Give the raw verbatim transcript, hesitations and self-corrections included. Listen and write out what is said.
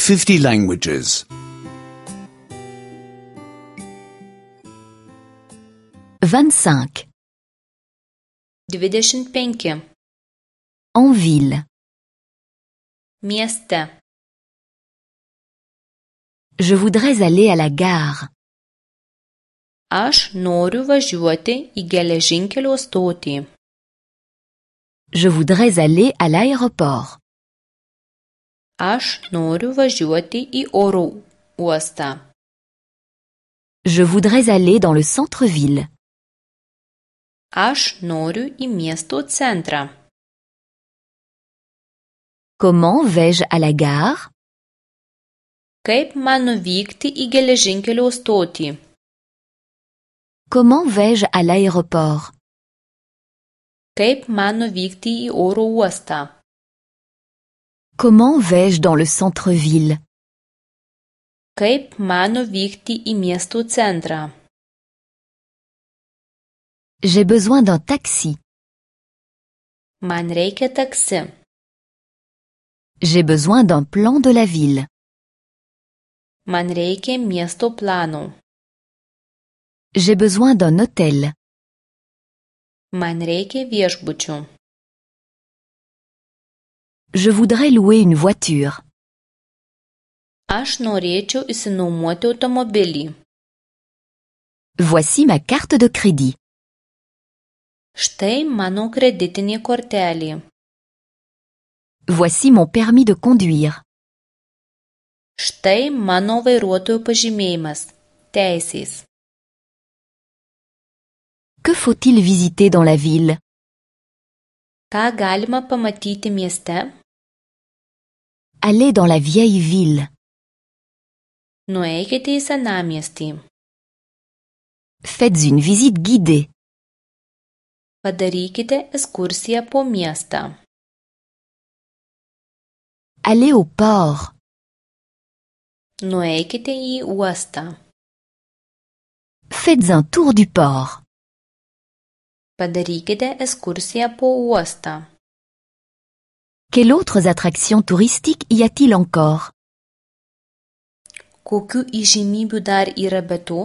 fifty languages. vingt-cinq. Dvidešimt penki. En ville. Mieste. Je voudrais aller à la gare. Aš noriu važiuoti į geležinkelio stotį. Je voudrais aller à l'aéroport. Aš noriu važiuoti į oro uostą. Je voudrais aller dans le centre-ville. Aš noriu į miesto centrą. Comment vais-je à la gare? Kaip man nuvykti į geležinkelio stotį? Comment vais-je à l'aéroport? Kaip man nuvykti į oro uostą? Comment vais-je dans le centre-ville? Kaip man nuvykti į miesto centrą? J'ai besoin d'un taxi. Man reikia taksi. J'ai besoin d'un plan de la ville. Man reikia miesto plano. J'ai besoin d'un hôtel. Man reikia viešbučių. Je voudrais louer une voiture. Aš norėčiau išsinuomoti automobilį. Voici ma carte de crédit. Štai mano kreditinė kortelė. Voici mon permis de conduire. Štai mano vairuotojo pažymėjimas. Teisės. Que faut-il visiter dans la ville? Ką galima pamatyti mieste? Allez dans la vieille ville. Nueikite į senamiestį. Faites une visite guidée. Padarykite ekskursiją po miestą. Allez au port. Nueikite į uostą. Faites un tour du port. Padarykite ekskursiją po uostą. Quelles autres attractions touristiques y a-t-il encore? Kokių įžymybių dar yra be to?